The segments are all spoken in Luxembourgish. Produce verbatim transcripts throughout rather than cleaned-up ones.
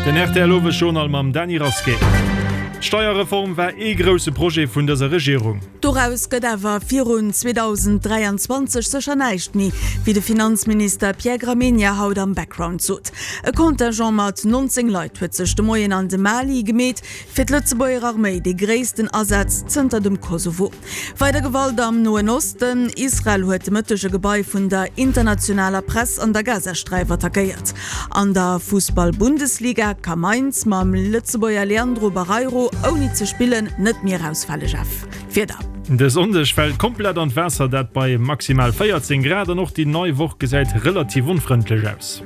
Den R T L Owesjournal mam Dany Rasqué. D'Steierreform war ee grousse Projet vun dëser Regierung. Doraus gëtt awer virun zweedausend dräianzwanzeg sécher näischt méi, wéi de Finanzminister Pierre Gramegna haut am Background sot. E Contingent mat nonzéng Leit huet sech de Moien an de Mali gemeet, fir d'Lëtzebuerger Arméi de gréissten Asaz zënter dem Kosovo. Weider Gewalt am Noen Osten, Israel huet de Mëtteg e Gebai vun der internationaler Press an der Gazasträif attackéiert. An der Fussball-Bundesliga ka Mainz mam Lëtzebuerger Leandro Barreiro ouni ze spillen net méi erausfale. Jeff, Wieder. De Sonndeg fält komplett an d'Waasser, dat bei maximal véierzéng Grad, an och déi nei Woch gesäit relativ onfrëndlech aus.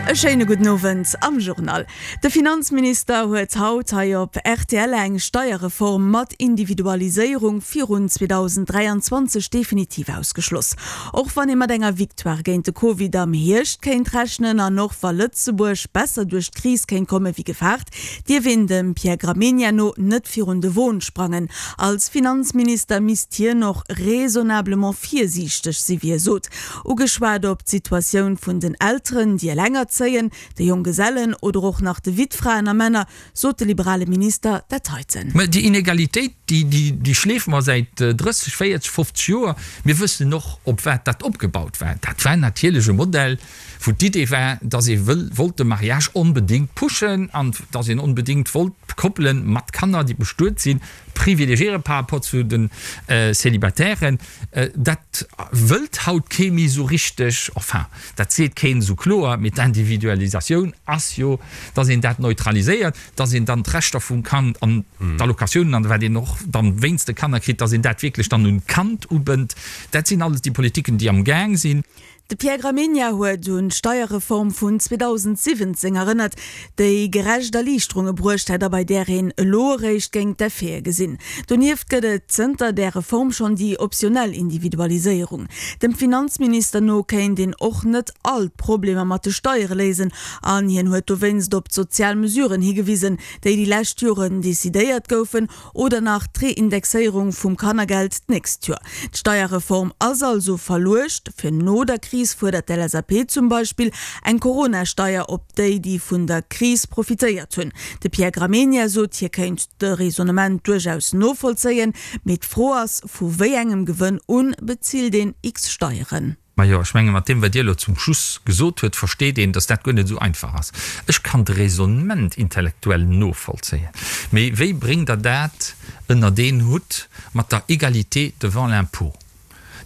E schéine gudden Owend am Journal. De Finanzminister huet haut hei op R T L eng Steierreform mat Individualiséierung virun zweedausend dräianzwanzeg definitiv ausgeschloss. Och wann ee mat enger Victoire géint de Covid am Hierscht kéint rechnen an och wa Lëtzebuerg besser duerch d'Kris kéint komme wéi gefaart, dierf een dem Pierre Gramegna no net virun de Won sprangen. Als Finanzminister misst hien och raisonnablement virsiichteg sinn, wéi hie sot. Ugeschwat op d'Situatioun vun den Elteren, déi elengerzéien, de Jonggesellen oder och nach de Wittfraen a Männer, sot de liberale Minister dat heiten. Mä déi Inegalitéit, déi, déi, déi schleefe mer säit drësseg, véierzeg, fofzeg Joer. Mir wëssen och, op wat dat opgebaut war. Dat war natierlech e Modell, wou d'Idee war, dass ee wëll, wollt de Mariage onbedéngt pushen an dass een onbedéngt wollt d'Koppele mat Kanner, déi bestuet sinn, privilegiéiere par rapport zu de Célibataires. Dat wëllt haut kee méi esou richteg, enfin, dat seet keen esou kloer, mee d'Individualisatioun ass jo, dass een dat neutraliséiert, dass een dann d'Rechter vum Kand an d'Allocatiounen an wat een och dann wéinst de Kanner kritt, dass een dat wierklech dann un d'Kand ubënnt. Dat sinn alles déi Politiken, déi am Gaang sinn. De Pierre Gramegna huet un d'Steierreform vun zweedausendsiwwenzéng erënnert, déi gerecht Erliichterunge bruecht hätt a bei där een elo eréischt géing d'Effete gesinn. Donieft gëtt et zënter där Reform schonn déi optionell Individualiséierung. Dem Finanzminister no kéint een och net all d'Problemer mat de Steiere léisen an hien huet dowéinst op d'sozial Mesuren higewisen, déi déi lescht Joren decidéiert goufen, oder nach d'Reindexéierung vum Kannergeld d'nächst Joer. D'Steierreform ass also verluecht fir no der Kris, fuerdert d'L S A P zum Beispill eng Corona-Steier op déi, déi vun der Kris profitéiert hunn. De Pierre Gramegna sot, hie kéint de Raisonnement duerchaus novollzéien, mee d'Fro ass, vu wéi engem Gewënn un bezilt een X Steieren. Majo, ech menge mat deem, wat Dir elo zum Schluss gesot huet, versteet een, datt dat guer net esou einfach ass. Ech kann de Raisonnement intellektuell novollzéien, mee wéi bréngt Der dat ënnert een Hutt mat der Égalité devant l'impôt,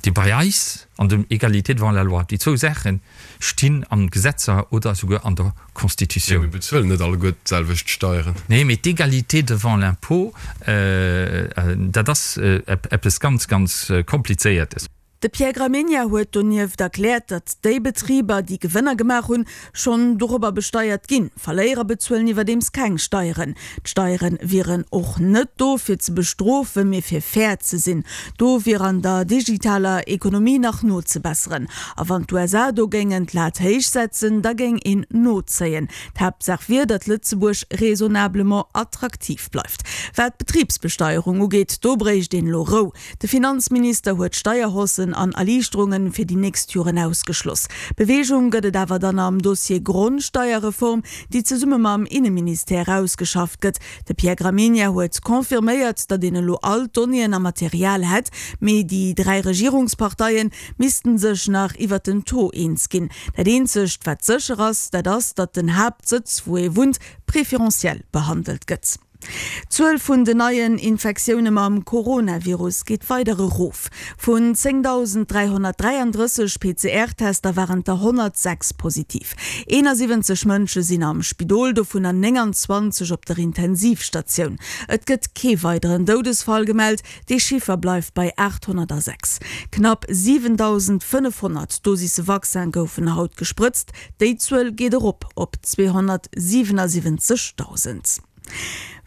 déi bei eis, an dem Égalité devant la loi, déi zwou Saache stinn an Gesetzer oder esouguer an der Constitutioun. Mir bezuelen net alleguer d'selwecht Steieren. Nee, mee d'Égalité devant l'impôt, dat ass eppes ganz, ganz Komplizéiertes. De Pierre Gramegna huet donieft erkläert, datt déi Betriber, déi Gewënner gemaach hunn, schonn dorobber besteiert ginn. Verléierer bezuelen iwwerdeems keng Steieren. D'Steiere wieren och net do fir ze bestrofen, mee fir fair ze sinn. Do wier an der digitaler Ekonomie nach nozebesseren. A wann d'U S A do géingen d'Lat héich setzen, da géing een nozéien. D'Haaptsaach wier, datt Lëtzebuerg raisonnablement attraktiv bleift. Wat d'Betribsbesteierung ugeet, do bréicht een elo Rou. De Finanzminister huet Steierhaussen an Erliichterunge fir déi nächst Joren ausgeschloss. Beweegung gëtt et awer dann am Dossier Grondsteierreform, déi zesumme mam Inneministère ausgeschafft gëtt. De Pierre Gramegna huet confirméiert, datt een elo all d'Donnéeën a Material hätt, mee déi dräi Regierungsparteie missten sech nach iwwer den Taux eens ginn. Dat eenzegt, wat sécher ass, dat ass, datt den Haaptsëtz, wou ee wunnt, preferenziell behandelt gëtt. D'Zuel vun den neien Infektioune mam Coronavirus geet weider erof. Vun zéngdausend dräihonnertdräiandrësseg P C R-Tester waren der honnertsechs positiv. eenasiwwenzeg Mënsche sinn am Spidol, dovunner nénganzwanzeg op der Intensivstatioun. Et gëtt kee weideren Doudesfall gemellt, de Chiffer bleift bei aathonnertsechs. Knapp siwendausendfënnefhonnert Dosisse Vaccin goufen haut gesprëtzt, déi Zuel geet erop op zweehonnertsiwenasiwwenzegdausend.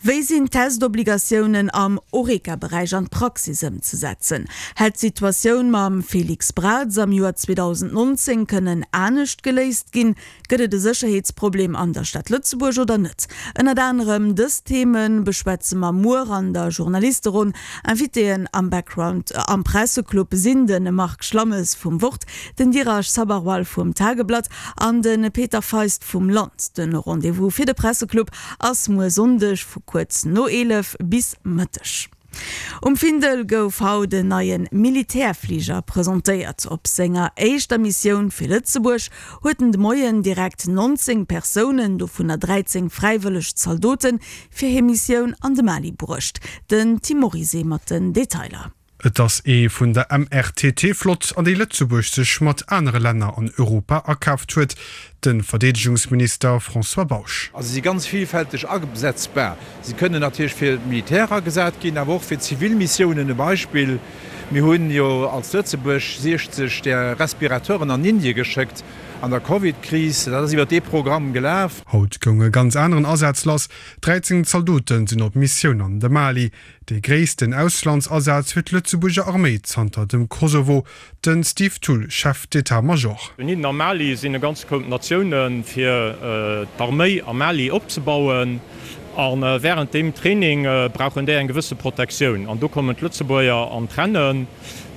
Wéi sinn d'Testobligatiounen am Horeca-Beräich an d'Praxis ëmzesetzen? Hätt d'Situatioun mam Félix Braz am Joer zweedausendnonzéng kënnen anescht geléist ginn? Gëtt et e Sécherheetsproblem an der Stad Lëtzebuerg oder net? Ënnert anerem dës Theme beschwätze mer muer an der Journalisteronn. Invitéen am Background am Presseclub sinn de Marc Schlammes vum Wort, den Dheeraj Sabharwal vum Tageblatt an de Peter Feist vum Land. De Rendez-vous fir de Presseclub ass muer Sonndeg vu kuerz no eelef bis Mëtteg. Um Findel gouf haut en neie Militärfliger presentéiert. Op senger éischter Missioun fir Lëtzebuerg huet en de Moien direkt nonzéng Persounen, dovunner dräizéng fräiwëlleg Zaldoten, fir hir Missioun an de Mali bruecht. Den Tim Morizet mat den Detailer. Et ass ee vun der M R T T-Flott, an déi Lëtzebuerg sech mat anere Länner an Europa akaaft huet, de Verdeedegungsminister François Bausch. Also si ganz villfälteg asetzbar. Si kënnen natierlech fir d'Militär agesat ginn, awer och fir zivil Missiounen. E Beispill, Mir hunn jo als Lëtzebuerg siechzeg där Respirateuren an Indie geschéckt an der Covid-Kris. Dat ass iwwer dee Programm gelaf. Haut goung e ganz aneren Asaz lass, dräizéng Zaldote sinn op Missioun an de Mali. Dee gréissten Auslandsasaz fir d'Lëtzebuerger Arméi zanter dem Kosovo. De Steve Thull, Chef d'état-major. Dohinner am Mali sinn e ganz Koup Natioune fir d'Arméi am Mali opzebauen. A wärend deem Training brauchen déi eng gewësse Protektioun. An do kommen d'Lëtzebuerger an d'Rennen.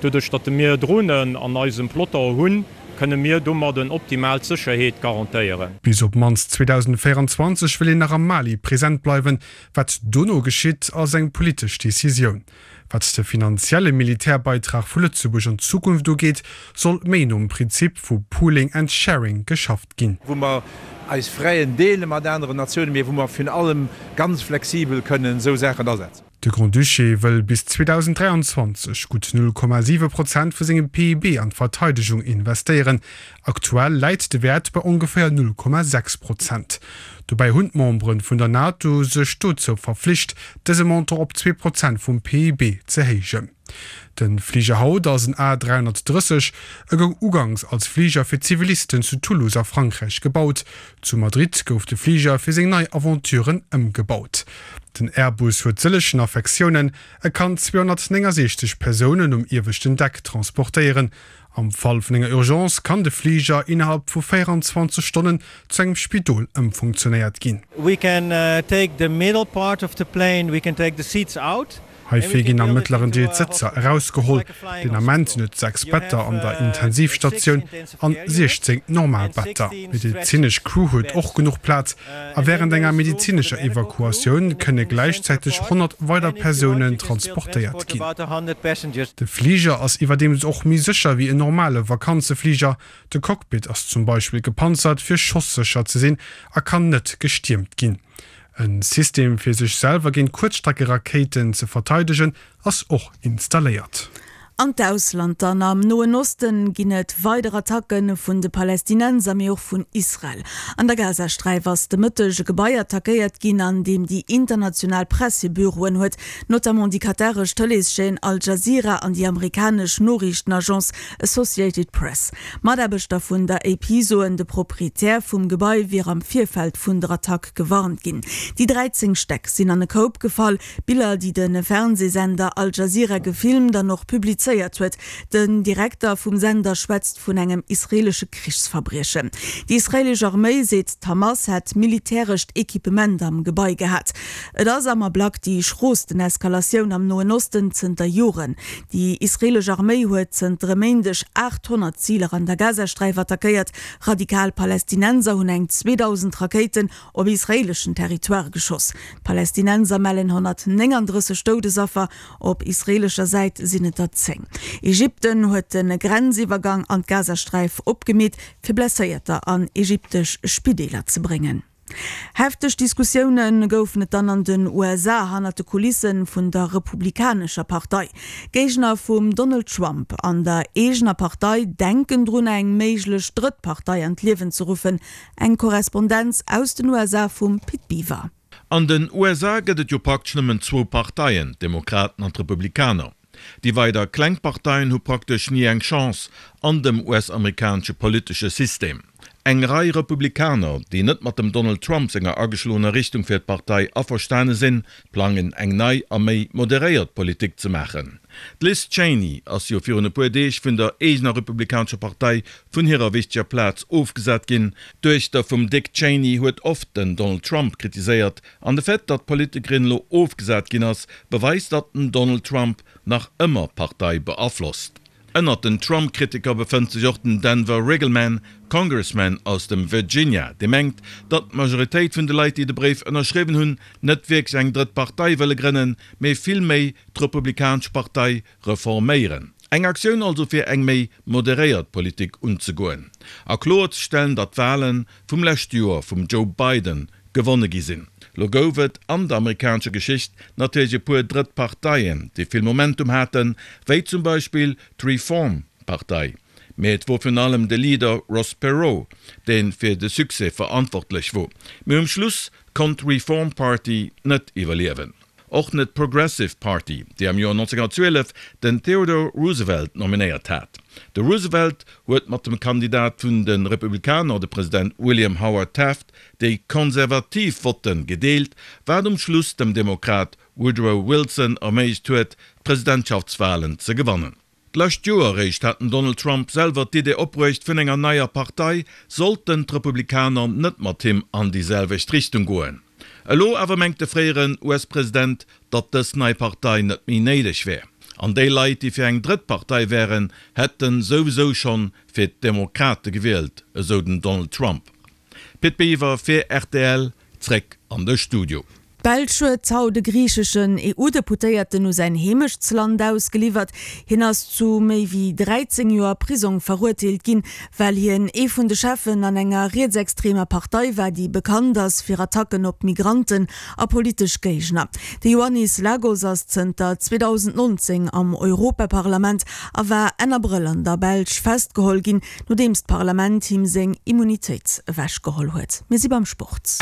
Doduerch datt mir Dronen an eisem Peloton hunn, kënne mir domadden optimal d'Sécherheet garantéieren. Bis op d'mannst zweedausendvéierenzwanzeg wëll een nach am Mali present bleiwen. Wat dono geschitt, ass eng politesch Decisioun. Wat de finanzielle Militärbeitrag vu Lëtzebuerg an Zukunft ugeet, soll méi nom Prinzip vu Pooling and Sharing geschafft ginn. Wou mer eis Fräen deele mat aneren Natiounen, mee wou mer virun allem ganz flexibel kënnen esou Saachen asetzen. De Grand-Duché wëll bis zweedausendräianzwanzeg gutt null Komma siwe Prozent vu sengem P I B an d'Verteidegung investéieren. Aktuell läit de Wäert bei ongeféier null Komma sechs Prozent. Dobäi hunn d'Membere vun der NATO sech dozou verflicht, dëse Montant op zwee Prozent vum P I B ze héijen. De Fliger haut ass en A dräihonnertdrësseg. E goung uganks als Fliger fir Zivilisten zu Toulouse a Frankräich gebaut. Zu Madrid gouf de Fliger fir seng nei Aventuren ëmgebaut. Den Airbus huet sëllegen Affektiounen, E kann zweehonnertnéngasiechzeg Persounen um ieweschten Deck transportéieren. Am Fall vun enger Urgence kann de Fliger innerhalb vu véieranzwanzeg Stonnen zu engem Spidol ëmfunktionéiert ginn. We can take the middle part of the plane, we can take the seats out. Heifir ginn am mëttleren Deel d'Sëtzer erausgeholl. Den Ament sinn et sechs Better an der Intensivstatioun an siechzéng normal Better. D'medezinesch Crew huet och genuch Plaz a wärend enger medezinescher Evakuatioun kënne gläichzäiteg honnert weider Persounen transportéiert ginn. De Fliger ass iwwerdeems och méi sécher wéi en normale Vakanzefliger. De Cockpit ass zum Beispill gepanzert, fir schossécher ze sinn a kann net gestiermt ginn. E System fir sech selwer géint Kuerzstreckerakéiten ze verteidegen ass och installéiert. An d'Ausland dann, Am Noen Osten ginn et weider Attacke vun de Palästinenser, mee och vun Israel. An der Gazasträif ass de Mëtteg e Gebai attackéiert ginn, an deem déi international Press hir Büroen huet, notamment déi kataresch Tëleeschaîne Al Jazeera an déi amerikanesch Noriichtenagence Associated Press. Mataarbechter vun der A P soen, de Proprietär vum Gebai wier am Virfeld vun der Attack gewarnt ginn. Déi dräizéng Stäck sinn an e Koup gefall. Biller, déi de Fernseesender Al Jazeera gefilmt an och publizéiert huet. Den Direkter vum Sender schwätzt vun engem israeelesche Krichsverbriechen. Déi israeelesch Arméi seet, d'Hamas hätt militärescht Equipement am Gebai gehat. Et ass am Ablack déi schroosten Eskalatioun am Noen Osten zënter Joren. Déi israeelesch Arméi huet zënter e Méindeg achthonnert Ziler an der Gazasträif attackéiert. Radikal Palästinenser hunn eng zweedausend Rakéiten op israeeleschen Territoire geschoss. D'Palästinenser mellen honnertnénganddrësseg Doudesaffer, op israeelescher Säit sinn et der zéng. Ägypten huet de Grenziwwergang an d'Gazasträif opgemeet, fir Blesséierter an ägyptesch Spideeler ze bréngen. Hefteg Diskussioune goufen et dann an den U S A hannert de Kulisse vun der Republikanescher Partei. Géigner vum Donald Trump an der eegener Partei denken drun eng méiglech drëtt Partei an d'Liewen ze ruffen. Eng Korrespondenz aus den U S A vum Pit Biwer. An den U S A gëtt et jo praktesch nëmmen zwou Parteien, d'Demokraten an d'Republikaner. Déi weider kleng Parteien hu praktesch ni eng Chance an dem U S-amerikanesche politesche System. Eng Rei Republikaner, déi net mat dem Donald Trump senger ageschloener Richtung fir d'Partei averstane sinn, plangen eng nei a méi moderéiert Politik ze maachen. D'Liz Cheney ass jo virun e puer Deeg vun der eegener republikanescher Partei vun hirer wichteger Plaz ofgesat ginn. D'Duechter vum Dick Cheney huet oft den Donald Trump kritiséiert an de Fait, datt d'Politikerin elo ofgesat ginn ass, beweist, datt den Donald Trump nach ëmmer d'Partei beaflosst. Ënnert den Trump-Kritiker befënnt sech och den Denver Riggleman, Congressman aus dem Virginia, dee mengt, datt d'Majoritéit vun de Leit, déi de Bréif ënnerschriwwen hunn, net wierklech eng drëtt Partei wëlle grënnen, mee vill méi d'Republikanesch Partei reforméieren. Eng Aktioun also fir eng méi moderéiert Politik unzegoen a kloerzestellen, datt d'Wale vum leschte Joer vum Joe Biden gewonne gi sinn. Lo gouf et an der amerikanescher Geschicht natierlech e puer drëtt Parteien, déi vill Momentum haten, wéi zum Beispill d'Reform Partei, mee et wor virun allem de Leader Ross Perot, dee fir de Succès verantwortlech wor. Mee um Schluss konnt d'Reform Party net iwwerliewen. Och net d'Progressive Party, déi am Joer nonzénghunnertzwielef den Theodore Roosevelt nominéiert hat. De Roosevelt huet mat dem Kandidat vun de Republikaner, de President William Howard Taft, déi konservativ Votte gedeelt, wat um Schluss dem Demokrat Woodrow Wilson erméiglecht huet, d'Presidentschaftswalen ze gewannen. D'lescht Joer eréischt hat den Donald Trump selwer d'Idee opbruecht vun enger neier Partei, sollten d'Republikaner net mat him an déi selwecht Richtung goen. Elo awer mengt de fréieren U S-President, datt dës nei Partei net méi néideg wär. An déi Leit, déi fir eng drëtt Partei wären, hätte souwisou schonn fir d'Demokrate gewielt, esou den Donald Trump. Pit Biwer fir R T L, zréck an de Studio. D'Belsch huet haut e griicheschen E U-Deputéierten u säin Heemechtsland ausgeliwwert. Hien ass zu méi wéi dräizéng Joer Prisong verurteelt ginn, well hien ee vun de Cheffen an enger rietsextremer Partei war, déi bekannt ass fir Attacken op Migranten a politesch Géigner. De Ioannis Lagos ass zënter zweedausendnonzéng am Europaparlament a war Enn Abrëll an der Belsch festgeholl ginn, nodeems d'Parlament him seng Immunitéit ewechgeholl huet. Mir si beim Sport.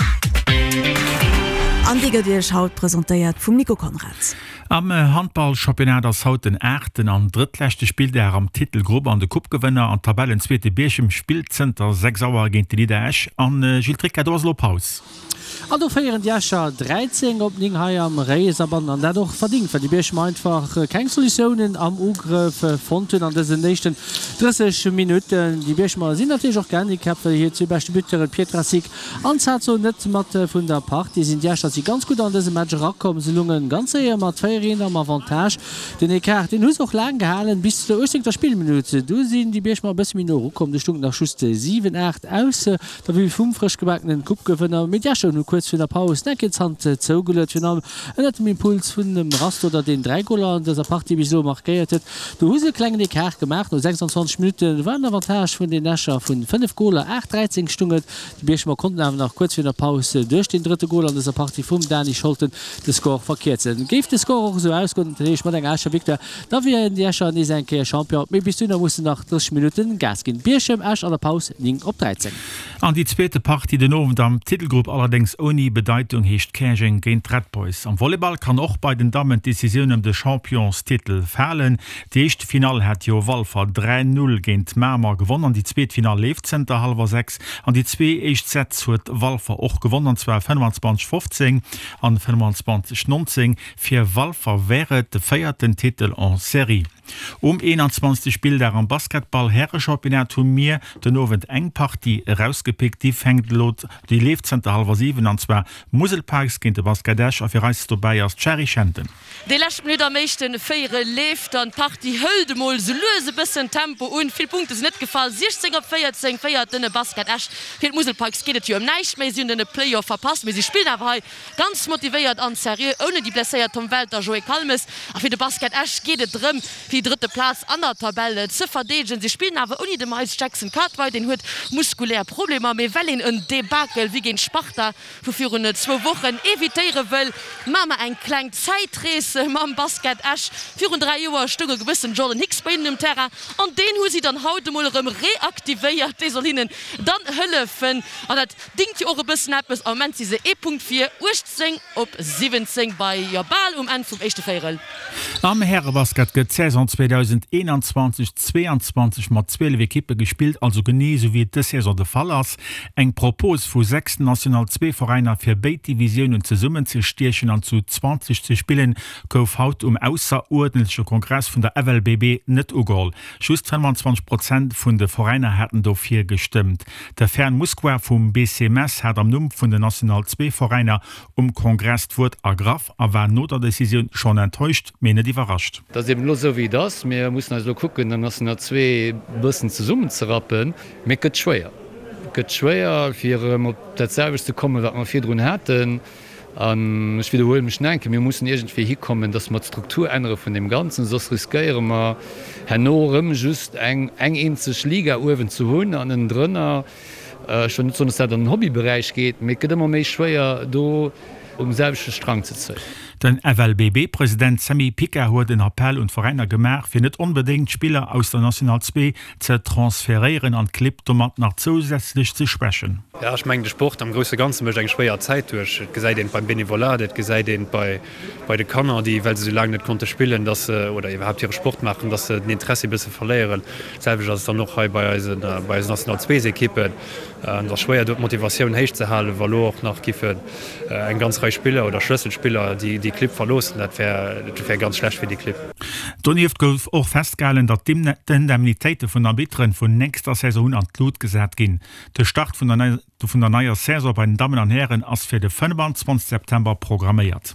An dee gëtt Iech haut presentéiert vum Nico Conrad. Am Handballchampionnat ass haut den aachten an drëttleschte Spilldag am Titelgrupp an de Coupe-Gewënner an Tabellenzweete Bierchem spillt zënter sechs Auer géint de Leader Esch. An Gilles Tricca, do ass elo Paus. An do féieren déi Escher dräizéng op néng hei am Réiserbann an dat och verdingt, well déi Bierchemer einfach keng Solutiounen am Ugrëff fonnt hunn an dësen éischten drësseg Minutten. Déi Bierchemer sinn natierlech och gehandicapt, well hir zwee beschte Buteuren Pietrasik an Zazo net mat vun der Partie sinn. Déi Escher si ganz gutt an dëse Match erakomm, se lounge ganz séier mat véier eent am Avantage. Den Ecart, deen hu se och laang gehalen, bis zu der uechtzéngter Spillminutt. Du sinn déi Bierchemer e bësse méi no erukomm, du stung et nach just siwen, aacht aus der Vue vum frësch gebakenen Coupe-Gewënner. Mee déi Escher hunn kuerz virun der Paus nach eng Kéier d'Hand zougeluet, virun allem ënnert dem Impuls vun dem Rastoder, deen dräi Goler an dëser Partie bis elo markéiert huet. Do hu se e klengen Ecart gemaach. No sechsanzwanzeg Minutte war den Avantage vun den Escher vun fënnef Goler, aacht, dräizéng stung et. Déi Bierchemer konnten awer nach kuerz virun der Paus duerch den drëtte Gol an dëser Partie vum Dani Scholten de Score verkierzen. Géif de Score och esou ausgoen, dat heescht mat enger Escher Victoire, da wieren déi Escher nees eng Kéier Champion. Mee bis dohinner mussen nach drësseg Minutten Gas ginn. Bierchem, Esch an der Paus néng op dräizéng. An déi zweete Partie den Owend am Titelgrupp allerdéngs ouni Bedeitung heescht Käerjeng géint d'Red Boys. Am Volleyball kann och bei den Dammen d'Decisioun ëm de Championstitel falen. Déi éischt Finall hat jo Walfer dräi, null géint Mamer gewonn an déi zweet Finall leeft zënter hallwer sechs. An déi zwee éischt Sätz huet Walfer och gewonn an zwar fënnefanzwanzeg fofzéng an fënnefanzwanzeg nonzéng. Fir Walfer wär et de véierten Titel en Serie. Um eenanzwanzegste Spilldag am Basketball-Härechampionnat hu mir den Owend eng Partie erausgepickt. Déi fänkt elo, déi leeft zënter hallwer siwen an zwar Musel Pikes géint de Basket Esch a fir eis dobäi ass d'Shari Schenten. Déi lescht Minutt am éischte Véierel leeft an d'Partie hëlt emol sou lues e bëssen Tempo un. Vill Punkte sinn net gefall, siechzéng op véierzéng féiert den Basket Esch. Fir d'Musel Pikes geet et jo ëm näischt méi, si hunn den Play-off verpasst, mee si spillen awer hei ganz motivéiert an seriö ouni déi blesséiert Tom Welter, Joé Kalmes. A fir de Basket Esch geet et drëm, fir déi drëtte Plaz an der Tabell ze verdeedegen. Si spillen awer ouni de Miles Jackson Cartwright, deen huet muskulär Problemer. Mee well een en Debakel wéi géint Sparta vu virun zwou Wochen evitéiere wëll, maache mer eng kleng Zäitrees mam Basket Esch. Virun dräi Joer stoung e gewëssen Jordan Hicks bei hinnen um Terrain an deen hu si dann haut emol erëm reaktivéiert. Dee soll hinnen dann hëllefen an dat dingt jo och e bëssen eppes. Am Moment si se ee Punkt vir, uechtzéng op siwwenzéng bei, jo, bal um Enn vum éischte Véierel. Am Härebasket gëtt d'Saison Saison zweedausendeenanzwanzeg zweeanzwanzeg mat zwielef Ekippe gespillt, also genee esou wéi et dës Saison de Fall ass. Eng Propos vu sechs National Zwee Veräiner fir béid Divisiounen zesummenzestiechen an zu zwanzeg ze spillen, gouf haut um ausseruerdentleche Kongress vun der F L B B net ugeholl. Just fënnwanzwanzeg Prozent vun de Veräiner haten dofir gestëmmt. De Fern Musquar vum B C Metz hat am Numm vun den National Zwee Veräiner um Kongress d'Wuert ergraff a war no der Decisioun schonn enttäuscht, mee net iwwerrascht. Et ass eben elo esou wéi et ass. Mir mussen eis elo kucken, den National Zwee e bëssen zesummenzerappen. Mee et gëtt schwéier. Et gëtt schwéier, fir erëm op dat selwecht ze kommen, wat mer virdrun haten. An ech widderhuele mech nach eng Kéier, Mir mussen iergendwéi hikommen, dass mer d'Struktur ännere vun deem Ganzen, soss riskéiere mer herno erëm just eng eng eenzeg Liga uewen ze hunn an ënnendrënner, ech wëll net soen, dass dat an den Hobbyberäich geet, mee et gëtt ëmmer méi schwéier, do um selwechte Strang ze zéien. Den F L B B-President Sammy Picard huet en Appell un d'Veräiner gemaach, fir net onbedéngt Spiller aus der National Zwee ze transferéieren an d'Clibb domat nach zousätzlech ze schwächen. Jo, ech mengen, de Sport am grousse Ganze mécht eng schwéier Zäit duerch. Et gesäit een et beim Benevolat, et gesäit een et bei bei de Kanner, déi, well se esou laang net konnte spillen, dass se, oder iwwerhaapt hire Sport maachen, dass se den Interessi e bësse verléieren. D'selwecht ass et dann och hei bei eisen, bei eisen National Zweesekippen. Et ass schwéier do d'Motivatioun héich ze halen, wa lo och nach giffen eng ganz Rei Spiller oder Schlësselspiller déi déi Clibb verloossen. Dat wär, dat wär ganz schlecht fir déi Clibb. Donieft gouf och festgehalen, datt d'Indemnitéite vun Arbitteren vun nächster Saison un an d'Lut gesat ginn. De Start vun der vun der neier Saison bei den Dammen an Hären ass fir de fënnefanzwanzeg September programméiert.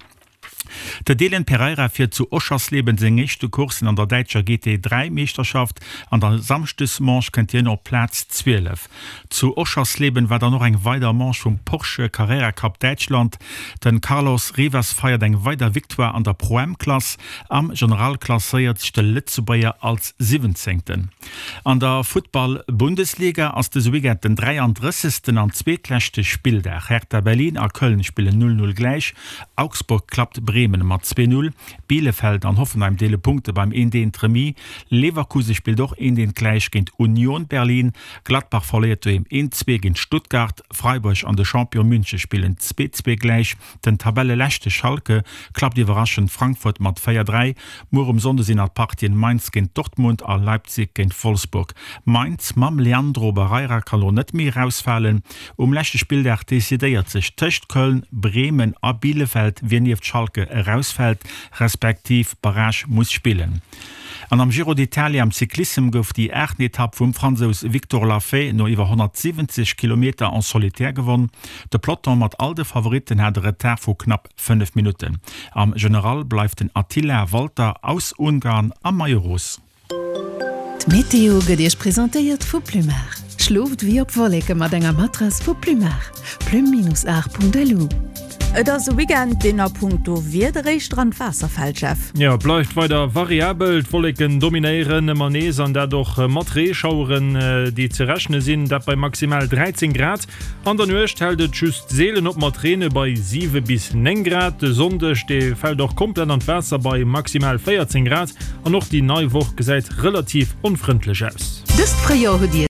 De Dylan Pereira fiert zu Oschersleben seng éischte Coursen an der däitscher G T dräi Meeschterschaft. An der Samschdesmanche kënnt hien op Plaz zwielef. Zu Oschersleben war dann och eng weider Manche vum Porsche Carrera Cup Däitschland. Den Carlos Rivas feiert eng weider Victoire an der Pro-Am Klass. Am General klasséiert sech de Lëtzebuerger als Siwwenzéngten. An der Futtball-Bundesliga ass dëse Weekend den dräiandrëssegsten an zweetleschte Spilldag. Hertha Berlin a Köln spillen null null gläich, Augsburg klappt Bremen mat zwee null, Bielefeld an Hoffenheim deele Punkte beim eent eent Remis, Leverkusen spillt och eent eent gläich géint Union Berlin, Gladbach verléiert doheem eent zwee géint Stuttgart, Freiburg an de Champion München spillen zwee zwee gläich, den Tabelleleschte Schalke klappt iwwerraschend Frankfurt mat véier dräi. Muer um Sonnde sinn nach d'Partien Mainz géint Dortmund a Leipzig géint Wolfsburg. Mainz mam Leandro Barreira ka lo net méi erausfalen. Um leschte Spilldag decidéiert sech tëscht Köln, Bremen a Bielefeld, wien nieft Schalke erausfält, respektiv Barrage muss spillen. An am Giro d'Italia am Cyclissem gouf déi aachten Etapp vum Fransous Victor Lafay no iwwer honnertsiwwenzeg Kilometer en solitaire gewonn. De Peloton mat all de Favoritten hat e Retard vu knapp fënnef Minutten. Am General bleift den Attila Valter aus Ungarn am Maillot Rose. D'Meteo gëtt Iech presentéiert vu Plumar. Schlooft wéi op Wolleke mat enger Matrass vu Plumar. Plum-art.lu. Et ass e Weekend, deen a punkto Wieder éischter an d'Waasser fält, Jeff. Jo, bleift weider variabel, d'Wolleken dominéieren ëmmer nees an dat och mat Reeschaueren, déi ze rechne sinn, dat bei maximal dräizéng Grad. An der Nuecht hält et just seelen op mat Reene bei siwe bis néng Grad. De Sonndeg, dee fält och komplett an d'Waasser bei maximal véierzéng Grad an och déi nei Woch gesäit relativ onfrëndlech aus. Dëst Fréijoer hutt Dir.